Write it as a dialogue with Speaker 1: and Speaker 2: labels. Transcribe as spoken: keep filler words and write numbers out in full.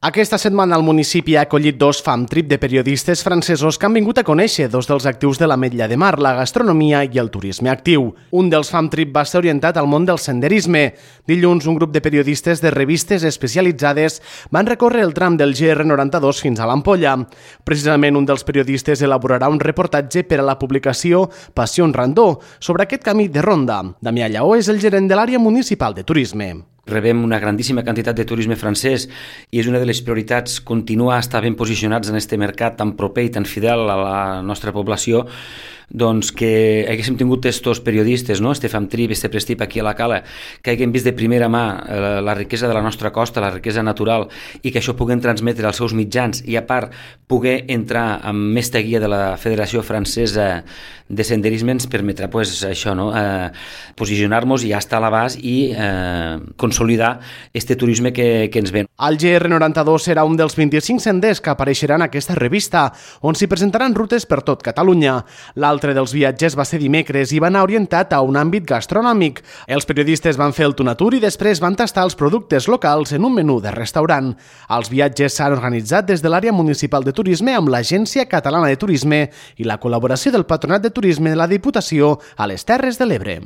Speaker 1: Aquesta setmana el municipi ha acollit dos fam trip de periodistes francesos que han vingut a conèixer dos dels actius de l'Ametlla de Mar, la gastronomia i el turisme actiu. Un dels fam trip va ser orientat al món del senderisme. Dilluns, un grup de periodistes de revistes especialitzades van recórrer el tram del G R noranta-dos fins a l'Ampolla. Precisament un dels periodistes elaborarà un reportatge per a la publicació Passió Randó sobre aquest camí de ronda. Damià Lleó és el gerent de l'àrea municipal de turisme.
Speaker 2: Rebem una grandíssima quantitat de turisme francès i és una de les prioritats continuar a estar ben posicionats en aquest mercat tan proper i tan fidel a la nostra població, doncs que haguéssim tingut estos periodistes, no? este fam trip, este prestip aquí a la Cala, que haguem vist de primera mà eh, la riquesa de la nostra costa, la riquesa natural, i que això puguem transmetre als seus mitjans i a part poder entrar amb aquesta guia de la Federació Francesa de Senderisme ens permetrà pues, això, no? eh, posicionar-nos i ja estar a l'abast i eh, consolidar este turisme que, que ens ven.
Speaker 1: El G R noranta-dos serà un dels vint-i-cinc senders que apareixeran en aquesta revista, on s'hi presentaran rutes per tot Catalunya. L'altre dels viatges va ser dimecres i va anar orientat a un àmbit gastronòmic. Els periodistes van fer el Tunatur i després van tastar els productes locals en un menú de restaurant. Els viatges s'han organitzat des de l'àrea municipal de turisme amb l'Agència Catalana de Turisme i la col·laboració del Patronat de Turisme de la Diputació a les Terres de l'Ebre.